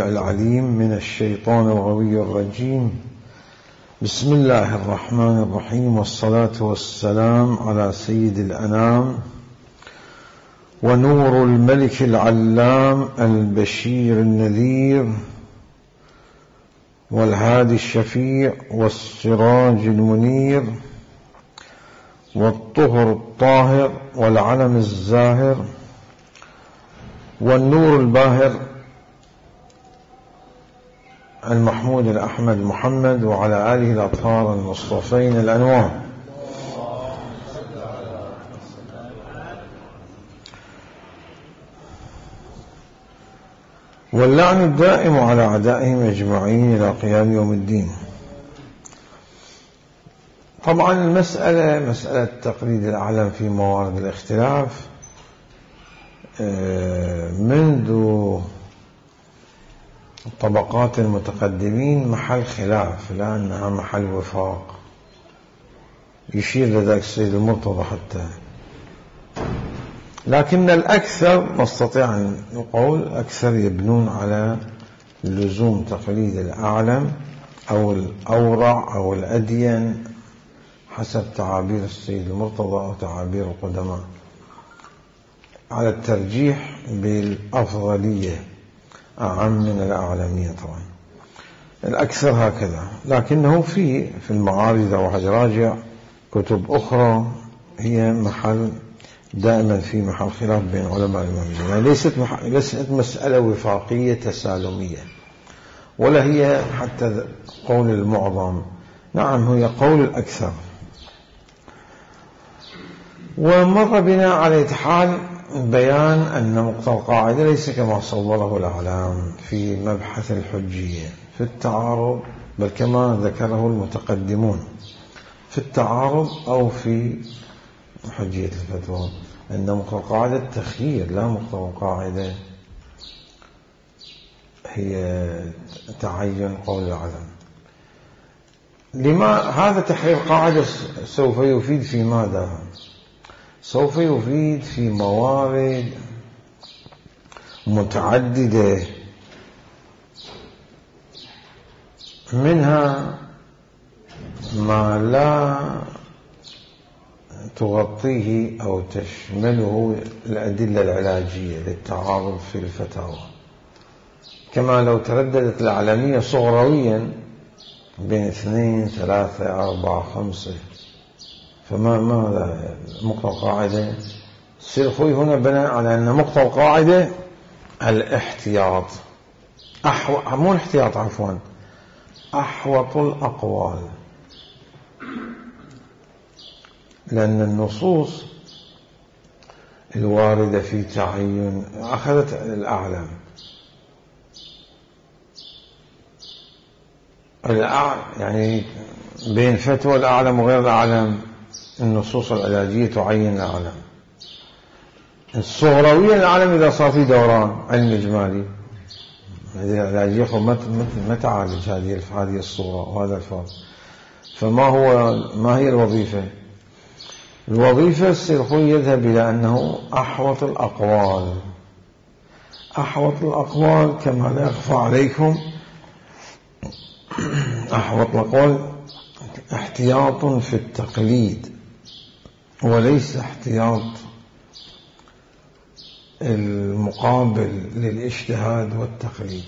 العليم من الشيطان الغوي الرجيم. بسم الله الرحمن الرحيم، والصلاة والسلام على سيد الأنام ونور الملك العلام البشير النذير والهادي الشفيع والسراج المنير والطهر الطاهر والعلم الزاهر والنور الباهر المحمود الأحمد محمد وعلى آله الأطهار المصطفين الأنوار. واللعن الدائم على أعدائهم أجمعين إلى قيام يوم الدين. طبعا مسألة تقليد الأعلم في موارد الاختلاف منذ طبقات المتقدمين محل خلاف، لا أنها محل وفاق، يشير لذلك السيد المرتضى حتى. لكن الأكثر نستطيع أن نقول الأكثر يبنون على لزوم تقليد الأعلم أو الأورع أو الأدين حسب تعابير السيد المرتضى أو تعابير القدماء، على الترجيح بالأفضلية أعم من الأعلمية. طبعا الأكثر هكذا، لكنه في المعارض إذا واحد راجع كتب أخرى هي محل دائما في محل خلاف بين علماء المسلمين، يعني ليست مسألة وفاقية تسالمية، ولا هي حتى قول المعظم، نعم هي قول الأكثر. ومر بنا على حال بيان أن مقتضى القاعدة ليس كما صوره الأعلام في مبحث الحجية في التعارض، بل كما ذكره المتقدمون في التعارض أو في حجية الفتوى، أن مقتضى القاعدة التخيير، لا مقتضى القاعدة هي تعين قول الأعلام. لما هذا تحرير قاعدة سوف يفيد في ماذا؟ سوف يفيد في موارد متعددة، منها ما لا تغطيه أو تشمله الأدلة العلاجية للتعارض في الفتاوى، كما لو ترددت الأعلمية صغرويا بين 2 3 4 5، ماذا مقتضى القاعدة؟ السلخوي هنا بنى على أن مقتضى القاعدة الاحتياط، مو الاحتياط عفوا، أحوط الأقوال، لأن النصوص الواردة في تعين أخذت الأعلم، يعني بين فتوى الأعلم وغير الأعلم النصوص العلاجية تعين الأعلم. الصغروية الأعلم إذا صار في دوران علم إجمالي، هذه العلاجية ما تعالج هذه الصورة وهذا الفرق. ما هي الوظيفة؟ الوظيفة السلخوي يذهب إلى أنه أحوط الأقوال. أحوط الأقوال كما لا يخفى عليكم، أحوط الأقوال احتياط في التقليد وليس احتياط المقابل للاجتهاد والتقليد.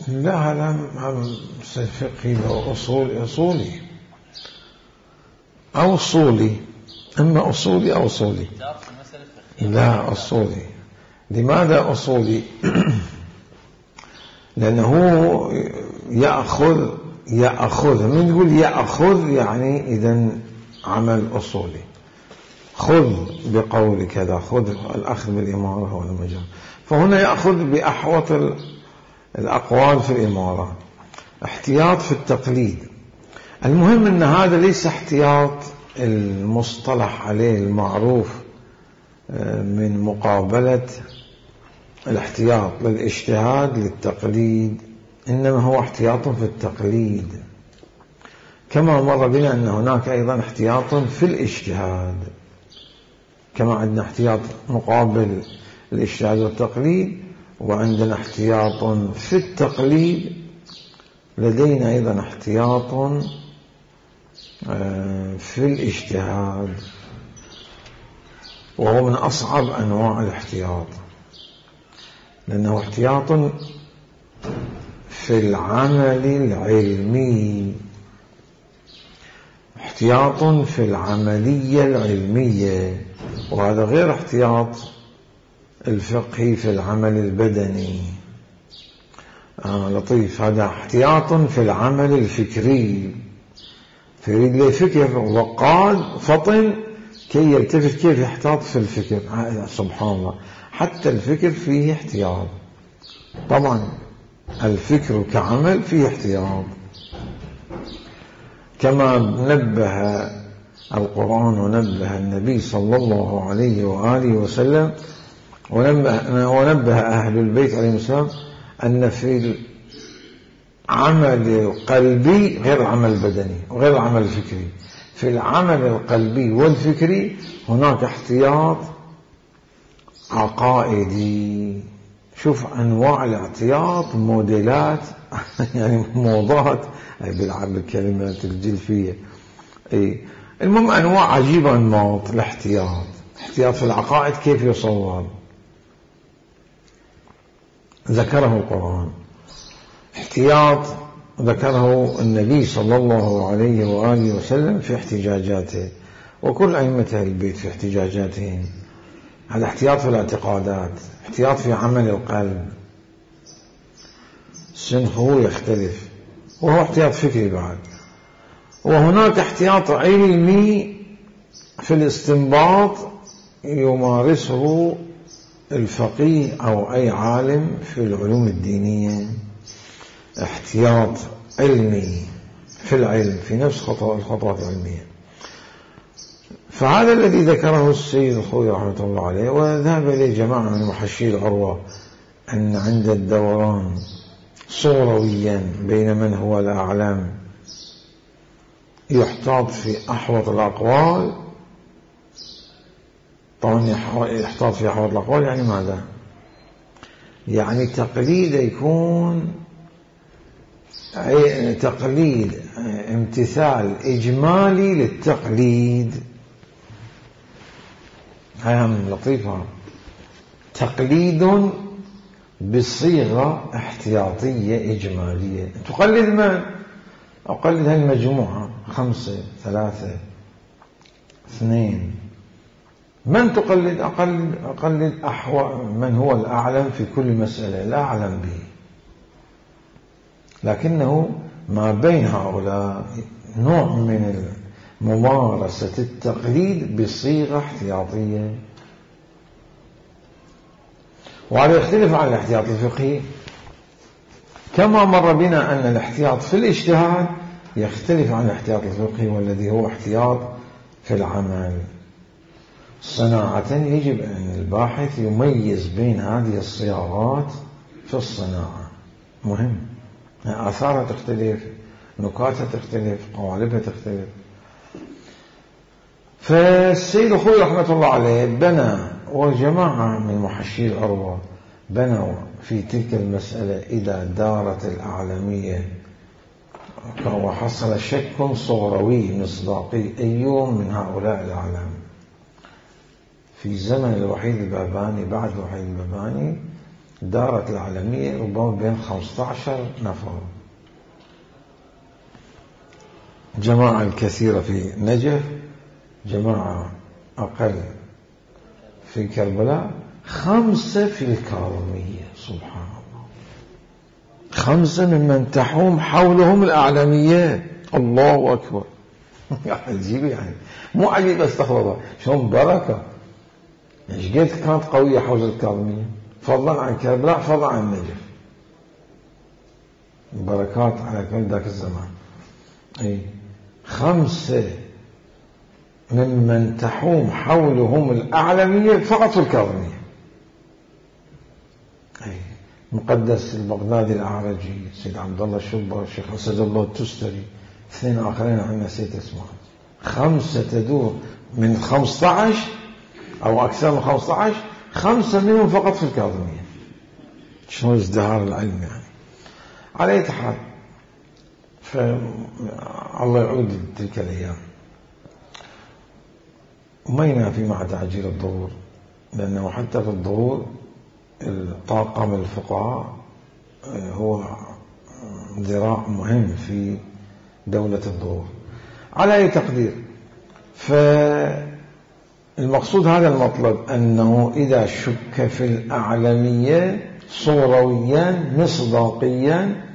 لا هذا فقهي أو أصولي أو أصولي، إما أصولي أو أصولي. لا أصولي. لماذا أصولي؟ لأنه يأخذ من يقول يأخذ يعني إذن عمل أصولي، خذ بقول كذا، خذ الأخذ بالإمارة والمجال، فهنا يأخذ بأحوط الأقوال في الإمارة، احتياط في التقليد. المهم أن هذا ليس احتياط المصطلح عليه المعروف من مقابلة الاحتياط للاجتهاد للتقليد، إنما هو احتياط في التقليد، كما مر بنا أن هناك أيضا احتياط في الاجتهاد. كما عندنا احتياط مقابل الاجتهاد والتقليد، وعندنا احتياط في التقليد، لدينا أيضا احتياط في الاجتهاد، وهو من أصعب أنواع الاحتياط، لأنه احتياط في العمل العلمي، احتياط في العملية العلمية، وهذا غير احتياط الفقهي في العمل البدني. لطيف، هذا احتياط في العمل الفكري، فيريد له فكر وقاد فطن كي يلتفت كيف يحتاط في الفكر. سبحان الله، حتى الفكر فيه احتياط. طبعا الفكر كعمل فيه احتياط، كما نبه القرآن ونبه النبي صلى الله عليه وآله وسلم ونبه أهل البيت عليهم السلام أن في العمل القلبي غير العمل البدني وغير العمل الفكري. في العمل القلبي والفكري هناك احتياط عقائدي. شوف أنواع الاحتياط، موديلات يعني موضات بيلعب بالكلمات الجلفية. المهم أنواع عجيبة أنماط الاحتياط. احتياط في العقائد كيف يصور؟ ذكره القرآن. احتياط ذكره النبي صلى الله عليه وآله وسلم في احتجاجاته، وكل أئمة البيت في احتجاجاتهم. هذا احتياط في الاعتقادات، احتياط في عمل القلب، سنخه يختلف، وهو احتياط فكري بعد. وهناك احتياط علمي في الاستنباط يمارسه الفقيه أو أي عالم في العلوم الدينية. احتياط علمي في العلم، في نفس الخطوات العلمية. فهذا الذي ذكره السيد الخوئي رحمة الله عليه، وذهب إليه جماعة من محشي العروة، أن عند الدوران صورويا بين من هو الأعلم يحتاط في أحوط الأقوال. طبعا يحتاط في أحوط الأقوال يعني ماذا؟ يعني تقليد يكون تقليد امتثال إجمالي للتقليد. هاي لطيفة، تقليد بصيغة احتياطية إجمالية. تقلد من؟ أقلد هاي المجموعة 5 3 2. من تقلد؟ أقلد من هو الأعلم في كل مسألة، لا أعلم به، لكنه ما بين هؤلاء نوع من ممارسة التقليد بصيغة احتياطية. وهذا يختلف عن الاحتياط الفقهي، كما مر بنا أن الاحتياط في الاجتهاد يختلف عن الاحتياط الفقهي، والذي هو احتياط في العمل. صناعة يجب أن الباحث يميز بين هذه الصياغات في الصناعة، مهم. آثارها تختلف، نكاتها تختلف، قوالبها تختلف. فالسيد الخوئي رحمة الله عليه بنى، وجماعة من محشي العروة بنوا في تلك المسألة إذا دارت الأعلمية وحصل شك صوروي مصداقي أيهم من هؤلاء الأعلام. في زمن الوحيد الباباني، بعد الوحيد الباباني دارت الأعلمية ربما بين 15 نفر. جماعة الكثيرة في نجف، جماعة أقل في كربلاء، 5 في الكاظمية. سبحان الله، 5 ممن تحوم حولهم الأعلمية. الله أكبر. عجيب، يعني مو عجيب، استغفر الله، شلون بركة. ايش قد كانت قوية حول الكاظمية، فضلا عن كربلاء، فضلا عن النجف. بركات على كل ذاك الزمان. 5 ممن تحوم حولهم الأعلمية فقط في الكاظمية. مقدس البغدادي الأعرجي، سيد عبد الله الشبر، الشيخ أسد الله التستري، 2 آخرين عن نسيت اسمهم. 5 تدور من 15 أو أكثر من 15، 5 منهم فقط في الكاظمية. شنو ازدهار العلم يعني. على أي حال، فالله يعود تلك الأيام. وما ينافي مع تعجيل الظهور، لأنه حتى في الظهور طاقم الفقهاء هو ذراع مهم في دولة الظهور. على أي تقدير، فالمقصود هذا المطلب، أنه إذا شك في الأعلمية صورويا مصداقيا،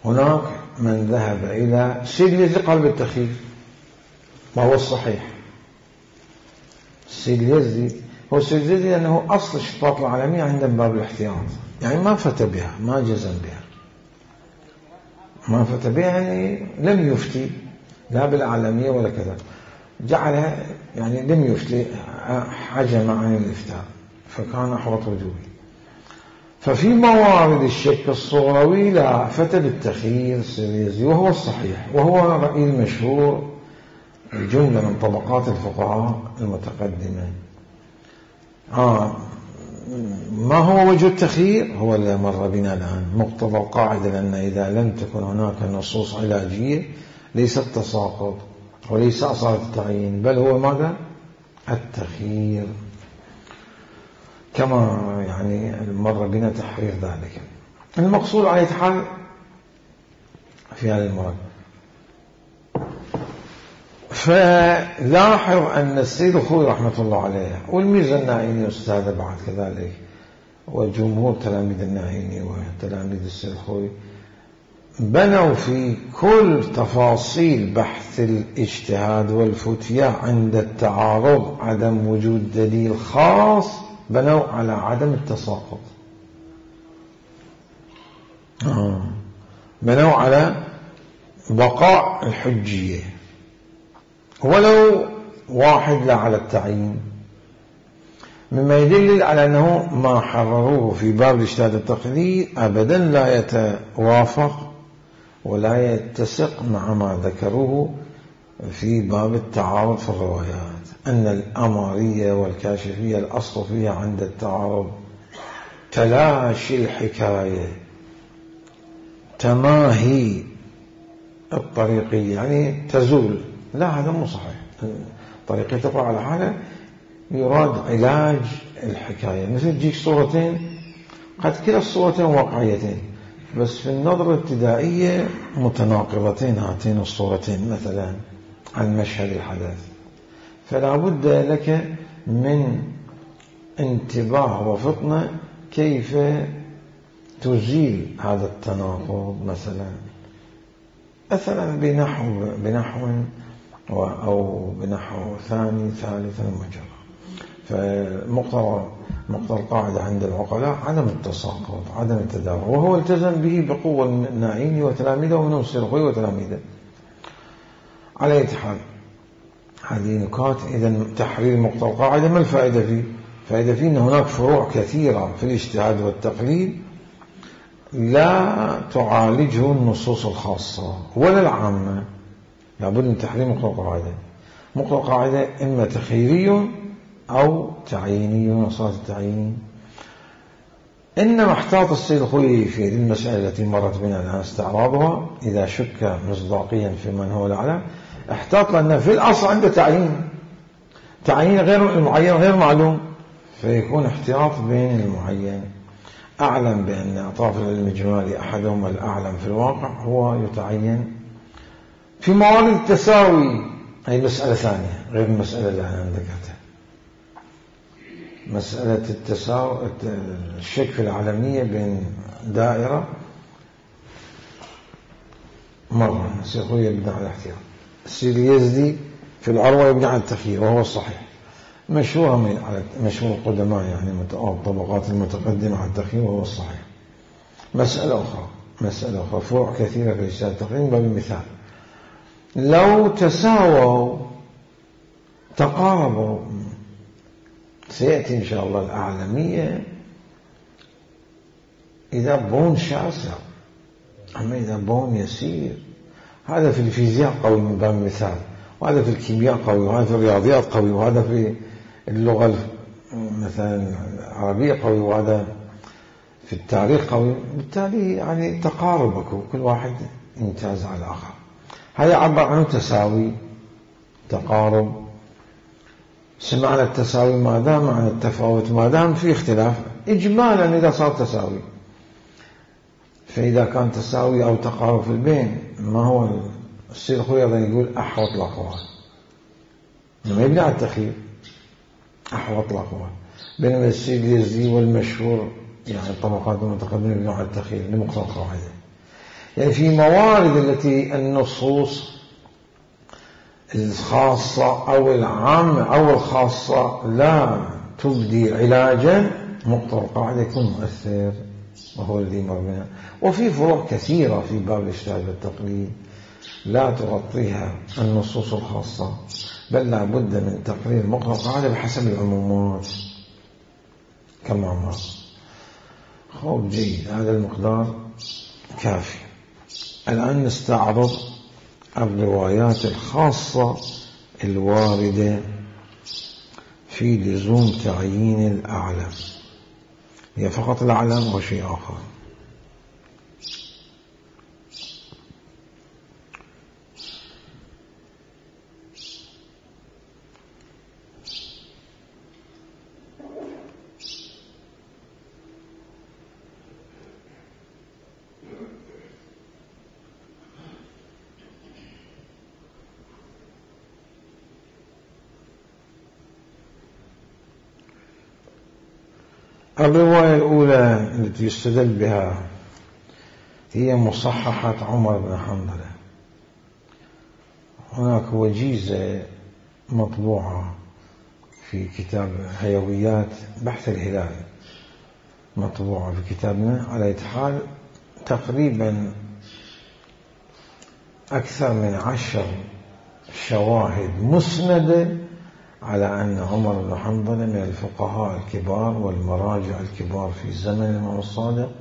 هناك من ذهب إلى السيد اليزدي قال بالتخيير، ما هو الصحيح. السيد اليزدي هو السيد اليزدي أنه أصل الشطات العالمية عند باب الاحتياط، يعني ما فتى بها، ما جزم بها، ما فتى بها، يعني لم يفتي لا بالأعلمية ولا كذا، جعلها يعني لم يفتي، حجم عن الإفتاء، فكان أحوط وجوبي. ففي موارد الشك الصوروي لا، فتى بالتخيير السيد اليزدي، وهو الصحيح، وهو رأي المشهور جملة من طبقات الفقهاء المتقدمة. ما هو وجه التخيير؟ هو اللي مر بنا الآن، مقتضى القاعدة، لأن إذا لم تكن هناك نصوص علاجية ليس التساقط وليس أصالة التعيين، بل هو ماذا؟ التخيير، كما يعني مر بنا تحرير ذلك. المقصود على حال في هذا المراد. فلاحظ أن السيد الخوئي رحمة الله عليه والميرزا الناعيني أستاذ بعد كذلك، وجمهور تلاميذ الناعيني وتلاميذ السيد الخوئي، بنوا في كل تفاصيل بحث الاجتهاد والفتية عند التعارض عدم وجود دليل خاص، بنوا على عدم التساقط، بنوا على بقاء الحجية ولو واحد، لا على التعيين، مما يدل على أنه ما حرروه في باب الاجتهاد التقليدي أبدا لا يتوافق ولا يتسق مع ما ذكروه في باب التعارض في الروايات، أن الأمارية والكاشفية الأصل فيها عند التعارض تلاشي الحكاية، تماهي الطريقية، يعني تزول. لا، هذا مو صحيح. الطريقية تقرأ على حالة، يراد علاج الحكاية. مثل تجيك صورتين، قد كلا الصورتين واقعيتين، بس في النظرة الابتدائية متناقضتين هاتين الصورتين مثلا عن مشهد الحدث، فلا بد لك من انتباه وفطنة كيف تزيل هذا التناقض، مثلا بنحو أو بنحو ثاني ثالث مجرى. فمقتضى القاعدة عند العقلاء عدم التساقط، عدم التداول، وهو التزم به بقوة الناعيني وتلاميذه ومنهم السيد الخوئي وتلاميذه. على أي حال، هذه نكات. إذا تحرير مقتضى القاعدة ما الفائدة فيه؟ فائدة فيه أن هناك فروع كثيرة في الاجتهاد والتقليد لا تعالجه النصوص الخاصة ولا العامة، لابد من تحرير مقتضى القاعدة. مقتضى القاعدة إما تخييري أو تعييني، وصارة التعيين. إنما احتاط السيد الخوئي في المسألة التي مرت بنا الآن استعراضها، إذا شك مصداقيا في من هو الأعلى، احتاط لأن في الأصل عنده تعيين غير المعين غير معلوم، فيكون احتياط بين المعين. أعلم بأن أطراف العلم الإجمالي أحدهم الأعلم في الواقع هو يتعين في موارد التساوي. هي مسألة ثانية غير المسألة اللي أنا ذكرتها، مسألة التساوي، الشك في العالمية بين دائرة مرة. السيد الخوئي يبنى على الاحتياط، السيد اليزدي في العروة يبنى على التخيير وهو الصحيح. مشهور مشهور القدماء يعني الطبقات المتقدمة على التخيير وهو الصحيح. مسألة أخرى فروع كثيرة في الاجتهاد التقليدي. بمثال، لو تساووا تقاربوا، سيأتي إن شاء الله الأعلمية إذا بون شاسع، أما إذا بون يسير، هذا في الفيزياء قوي من باب المثال، وهذا في الكيمياء قوي، وهذا في الرياضيات قوي، وهذا في اللغة مثلا العربية قوي وهذا في التاريخ قوي، بالتالي يعني تقاربك وكل واحد يمتاز على الآخر. هذا عبر عنه تساوي، تقارب. سمعنا التساوي ما دام عن التفاوت، ما دام في اختلاف إجمالا إذا صار تساوي. فإذا كان تساوي أو تقارب في البين، ما هو السيد الخوي أيضا يقول أحوط الأقوال، لما يبني على التخيير أحوط الأقوال. بينما السيد اليزدي والمشهور يعني الطبقات المتقدمة يبنوا على التخيير لمقتضى القاعدة. يعني في موارد التي النصوص الخاصة أو العامة أو الخاصة لا تبدي علاجا، مقتضى القاعدة يكون مؤثر وهو الذي مر بنا. وفي فروع كثيرة في باب الاجتهاد والتقليد لا تغطيها النصوص الخاصة، بل لا بد من تقرير مقتضى القاعدة بحسب العمومات كما مر. خوب جيد، هذا المقدار كافي. الآن نستعرض الروايات الخاصة الواردة في لزوم تعيين الأعلم. هي فقط الأعلم وشيء آخر. الرواية الأولى التي يستدل بها هي مصححة عمر بن حنظلة. هناك وجيزة مطبوعة في كتاب حيويات بحث الهلال، مطبوعة في كتابنا على حال تقريبا أكثر من 10 شواهد مسندة على أن عمر بن حنظلة من الفقهاء الكبار والمراجع الكبار في زمن الإمام الصادق،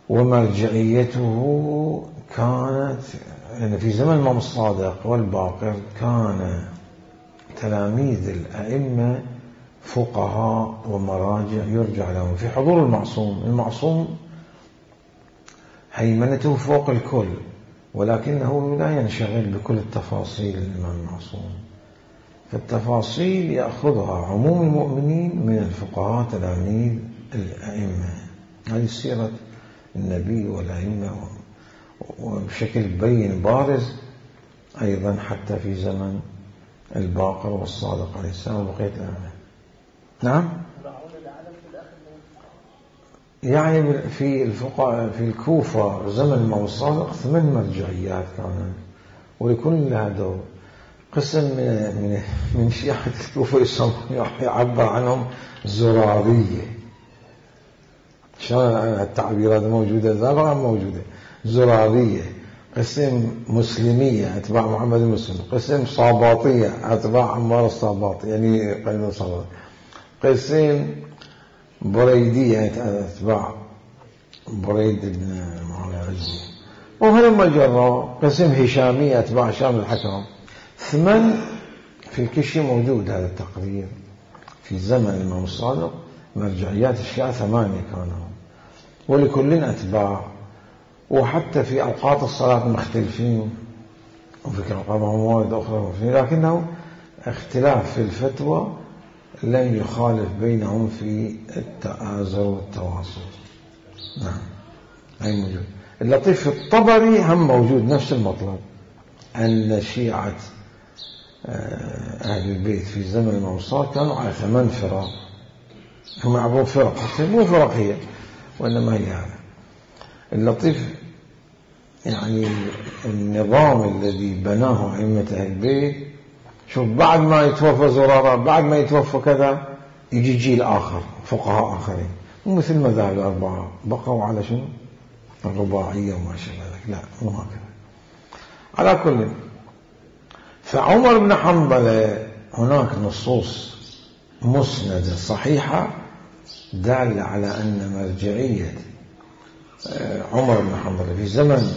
ومرجعيته كانت يعني في زمن الإمام الصادق والباقر كان تلاميذ الأئمة فقهاء ومراجع يرجع لهم في حضور المعصوم. المعصوم هيمنته فوق الكل، ولكنه لا ينشغل بكل التفاصيل الإمام المعصوم، فالتفاصيل يأخذها عموم المؤمنين من الفقهاء تلاميذ الأئمة. هذه سيرة النبي والأئمة وبشكل بين بارز أيضا حتى في زمن الباقر والصادق عليه السلام وبقية الأئمة. نعم، يعني في الفقهاء في الكوفة زمن الإمام الصادق 8 مرجعيات كانت، ولكل لها دور. قسم من شيعة الكوفة يعبر عنهم زرارية. شلون التعبيرات موجودة؟ زرارة موجودة، زرارية. قسم مسلمية أتباع محمد المسلم، قسم صاباطية أتباع عمار الصاباطي يعني قيد الصاباطي، قسم بريدية أتباع بريد بن معاوية الرجلي، وهلم جرا. قسم هشامية أتباع هشام الحكم. 8 في الكشي موجود هذا التقرير في زمن الإمام الصادق. مرجعيات الشيعة 8 كانوا، ولكل أتباع، وحتى في أوقات الصلاة مختلفين، وفي أوقات موارد أخرى مختلفين، لكنه اختلاف في الفتوى لن يخالف بينهم في التآزر والتواصل. نعم، هاي موجود. اللطيف في الطبري هم موجود نفس المطلب، أن شيعة أهل البيت في زمن الإمام الصادق كانوا على 8 فرق. هم يعبرون فرق، مو فرق هي، وإنما هي هذا. اللطيف يعني النظام الذي بناه أئمة أهل البيت. شوف، بعد ما يتوفى زرارة، بعد ما يتوفى كذا، يجي جيل آخر فقهاء آخرين، مو مثل مذاهب الأربعة بقوا على شنو؟ الرباعية وما شابه ذلك. لا، مو هكذا. على كل، فعمر بن حنظلة هناك نصوص مسندة صحيحة دالة على أن مرجعية عمر بن حنظلة في زمن،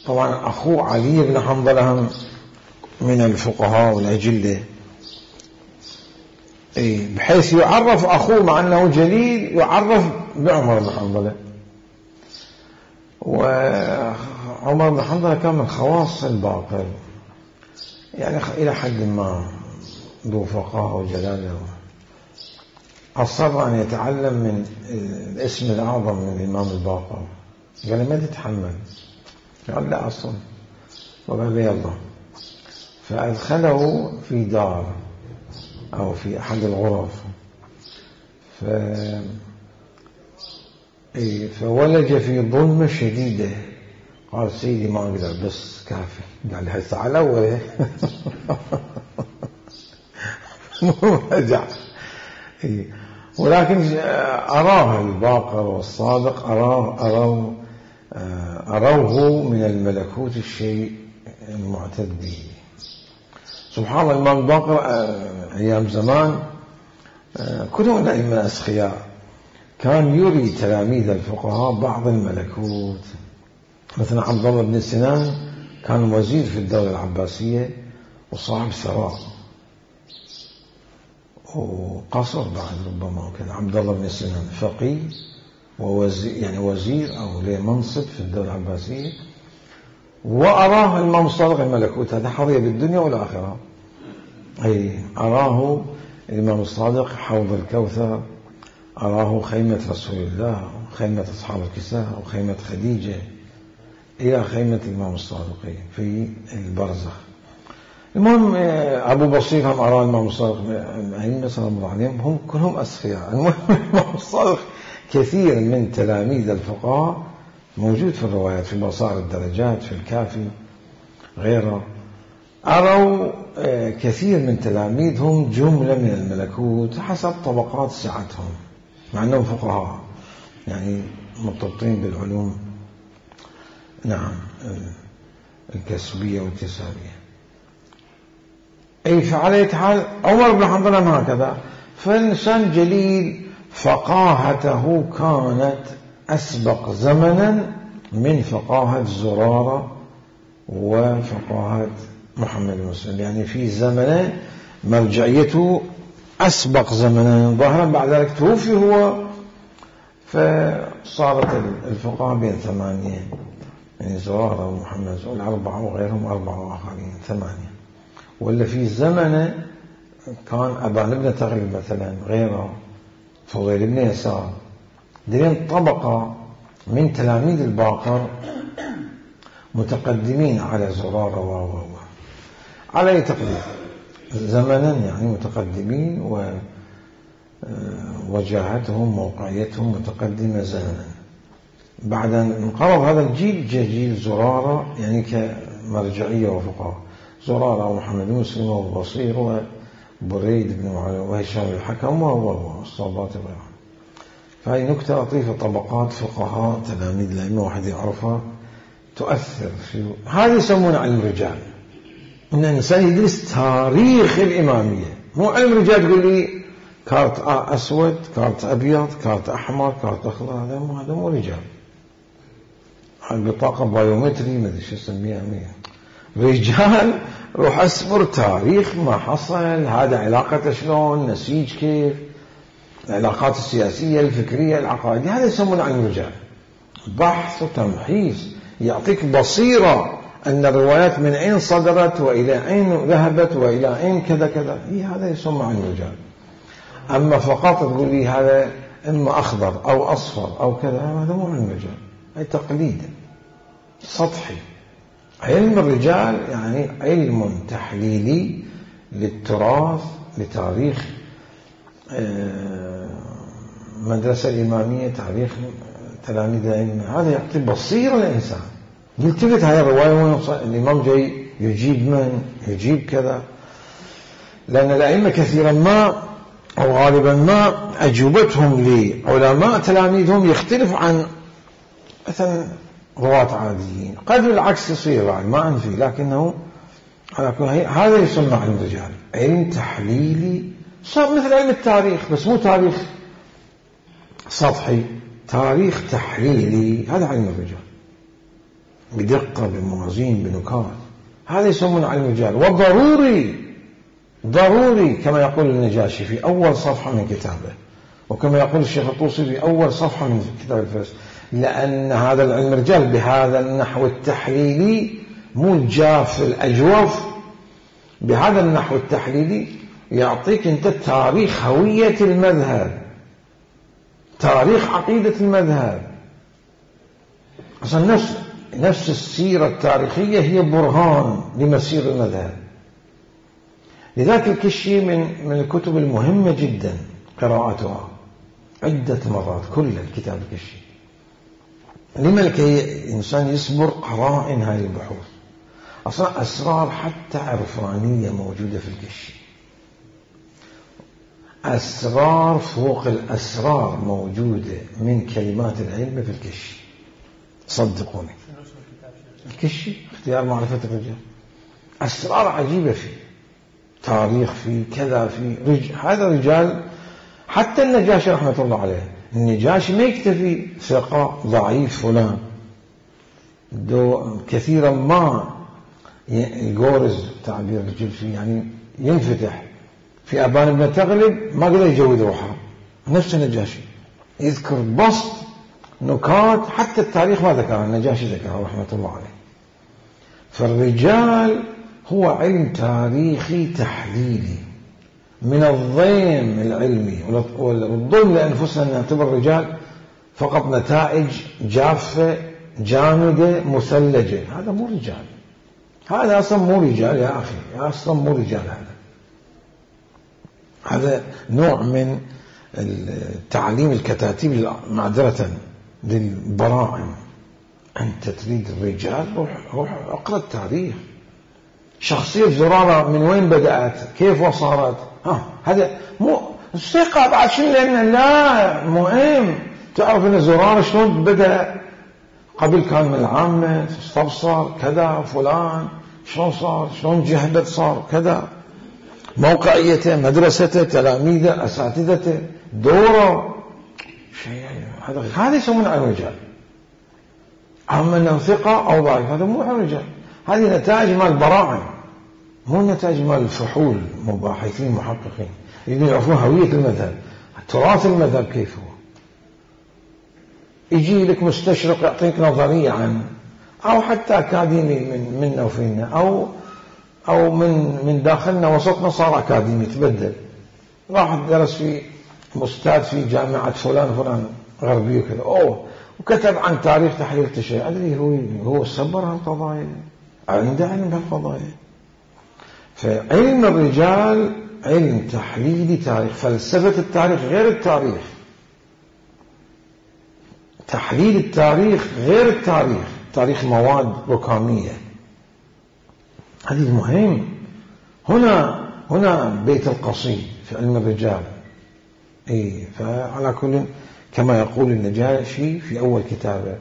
طبعا أخوه علي بن حنظلة هم من الفقهاء والأجلة بحيث يعرف أخوه مع أنه جليل يعرف بعمر بن حنظلة. وعمر بن حنظلة كان من خواص الباقر، يعني إلى حد ما ذو فقاهة وجلالة، أصر أن يتعلم من الاسم الأعظم من الإمام الباقر، قال ما تتحمل، قال لا أصلا، وقال يلا، فأدخله في دار أو في أحد الغرف، فولج في ظلمة شديدة، قال سيدي ما أقدر بس كافي، قال هسه على أوله رجع. ولكن أراه الباقر والصادق أروه من الملكوت الشيء المعتد به. سبحان الله، الإمام الباقر أيام زمان كلهم الأئمة أسخياء، كان يري تلاميذ الفقهاء بعض الملكوت. مثلا عبد الله بن سنان كان وزير في الدولة العباسية وصاحب ثراء وقصر بعد ربما، وكان عبد الله بن سنان فقيه ووزير، يعني وزير أو له منصب في الدولة العباسية، وأراه الإمام الصادق الملكوت، هذا حظي بالدنيا والآخرة. أراه الإمام الصادق حوض الكوثر، أراه خيمة رسول الله، خيمة أصحاب الكساء، وخيمة خديجة، إلى خيمة الإمام الصادق في البرزخ. المهم أبو بصير هم أراه الإمام الصادق، الأئمة سلام الله عليهم هم كلهم أسخياء. المهم الإمام الصادق كثير من تلاميذ الفقهاء موجود في الروايات، في بصائر الدرجات، في الكافي غيره، أروا كثير من تلاميذهم جملة من الملكوت حسب طبقات سعتهم، مع أنهم فقهاء يعني مرتبطين بالعلوم، نعم، الكسبية والكسابية. فعلى حال عمر بن حنظلة هكذا، فالإنسان جليل فقاهته كانت أسبق زمنا من فقاهة زرارة وفقاهة محمد بن مسلم، يعني في زمن مرجعيته أسبق زمنا، ظاهرا بعد ذلك توفي هو، فصارت الفقهاء بين ثمانية، يعني زرارة ومحمد والأربعة وغيرهم أربعة وآخرين ثمانية. ولا في زمن كان أبان بن تغلب مثلا، غيره فضيل بن يسار، دين طبقة من تلاميذ الباقر متقدمين على زرارة على أي تقدير زمنا، يعني متقدمين، ووجاهتهم موقعيتهم متقدمة زمنا. بعد أن انقرض هذا الجيل جاء جيل زرارة، يعني كمرجعية وفقهاء، زرارة ومحمد مسلم والبصير وبريد بن معاوية وهشام الحكم والصوبات وغيرهم. فهي نكتة لطيفة، طبقات فقهاء تلاميذ الأئمة واحد يعرفها تؤثر في هذا، يسمونه علم الرجال، إن الإنسان يدرس تاريخ الإمامية، مو علم الرجال تقول لي كارت أسود، كارت أبيض، كارت أحمر، كارت أخضر، هذا مو رجال. البطاقة بايومتري ما أدري شو اسميها، رجال روح أسبر تاريخ ما حصل، هذا علاقته شلون، نسيج كيف، العلاقات السياسية الفكرية العقائدية، هذا يسمونه علم الرجال، بحث وتمحيص، يعطيك بصيرة أن الروايات من أين صدرت وإلى أين ذهبت وإلى أين كذا كذا، هذا يسمى علم الرجال. أما فقط تقول لي هذا إما أخضر أو أصفر أو كذا، هذا مو علم الرجال، أي تقليد سطحي. علم الرجال يعني علم تحليلي للتراث، لتاريخ مدرسة الإمامية، تاريخ تلاميذ الأئمة، هذا يعطي بصيرة للإنسان. يلتفت هاي الرواية الإمام جاي يجيب من يجيب كذا، لأن الأئمة كثيرا ما أو غالبا ما أجوبتهم لعلماء تلاميذهم يختلف عن مثلا رواة عاديين، قد العكس يصير بعد ما أنفي، لكنه على كل هذا يسمى علم الرجال، علم تحليلي، صار مثل علم التاريخ بس مو تاريخ سطحي، تاريخ تحليلي، هذا علم الرجال، بدقة، بموازين، بنكات، هذا يسمونه علم الرجال. ضروري كما يقول النجاشي في أول صفحة من كتابه، وكما يقول الشيخ الطوسي في أول صفحة من كتاب الفهرست، لأن هذا العلم الرجال بهذا النحو التحليلي مو الجاف الأجوف، بهذا النحو التحليلي يعطيك أنت تاريخ هوية المذهب، تاريخ عقيدة المذهب. أصلا نفس السيرة التاريخية هي برهان لمسير المذهب. لذلك الكشي من الكتب المهمة جدا قراءتها عدة مرات، كل الكتاب الكشي. لما لكي الإنسان يصبر قرائن هذه البحوث. أصلا أسرار حتى عرفانية موجودة في الكشي، أسرار فوق الأسرار موجودة من كلمات العلم في الكشي، صدقوني. الكشي اختيار معرفة الرجال، أسرار عجيبة فيه، تاريخ فيه، كذا فيه، هذا رجال. حتى النجاشي رحمة الله عليه، النجاشي ما يكتفي ثقة ضعيف فلان، كثيرا ما يقورز تعبير الجلفي، يعني ينفتح في أبان بن تغلب، ما قدر يجود روحه. نفس النجاشي يذكر بسط نكات حتى التاريخ ما ذكرها، النجاشي ذكرها رحمة الله عليه. فالرجال هو علم تاريخي تحليلي من الضيم العلمي، والظلم لأنفسنا أن نعتبر الرجال فقط نتائج جافة جامدة مثلجة. هذا مو رجال، هذا أصلا مو رجال يا أخي، أصلا مو رجال. هذا نوع من التعليم الكتاتيب معذرة للبراعم. أنت تريد الرجال، روح اقرأ التاريخ. شخصية زرارة من وين بدأت، كيف وصارت، هذا مو الثقة بعد شيء، لأن لا مهم تعرف أن زرارة شلون بدأ. قبل كان من العامة، استبصر كذا، فلان شلون صار، شلون جهبت صار كذا، موقعيته، مدرسته، تلاميذه، أساتذته، دوره، شيء هذا يسمونه علم الرجال. أما أنه ثقة أو ضعيف هذا مو علم الرجال، هذه نتائج مال البراعم، مو نتائج مال الفحول، مباحثين محققين يريدون يعرفون هوية المذهب، تراث المذهب كيف هو. يجي لك مستشرق يعطيك نظرية عنه، أو حتى أكاديمي منا وفينا، أو من داخلنا وسطنا صار أكاديمي تبدل، راح درس في مستاد في جامعة فلان غربي وكذا، وكتب عن تاريخ تحليل التشريع. أدري هو صبر هالقضايا، عنده علم بهالقضايا. فعلم الرجال علم تحليلي تاريخ، فلسفة التاريخ غير التاريخ، تحليل التاريخ غير التاريخ، تاريخ مواد ركامية. هذه المهم. هنا بيت القصيد في علم الرجال. فعلى كل كما يقول النجاشي في أول كتابه،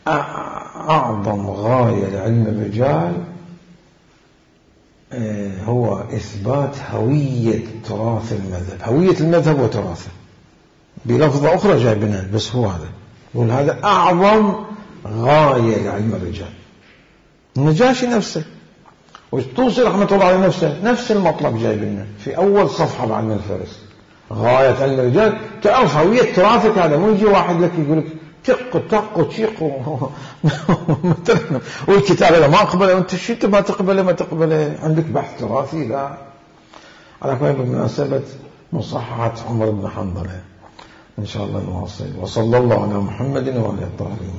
أعظم غاية لعلم الرجال هو إثبات هوية تراث المذهب، هوية المذهب وتراثه، بلفظة أخرى جايبنا، بس هو هذا يقول هذا أعظم غاية لعلم الرجال. النجاشي نفسه والطوسي رحمة الله عليه نفس المطلب جايبنا في أول صفحة بعلم الفهرست. غاية علم الرجال تعرف هوية تراثك. هذا مو يجي واحد لك يقول لك تق وتشيق والكتاب هذا ما أقبله، وأنت شئت ما تقبله، عندك بحث تراثي. لا. على كل بمناسبة مصححة عمر بن حنظلة إن شاء الله نواصل. وصلى الله على محمد وعلى آله الطاهرين.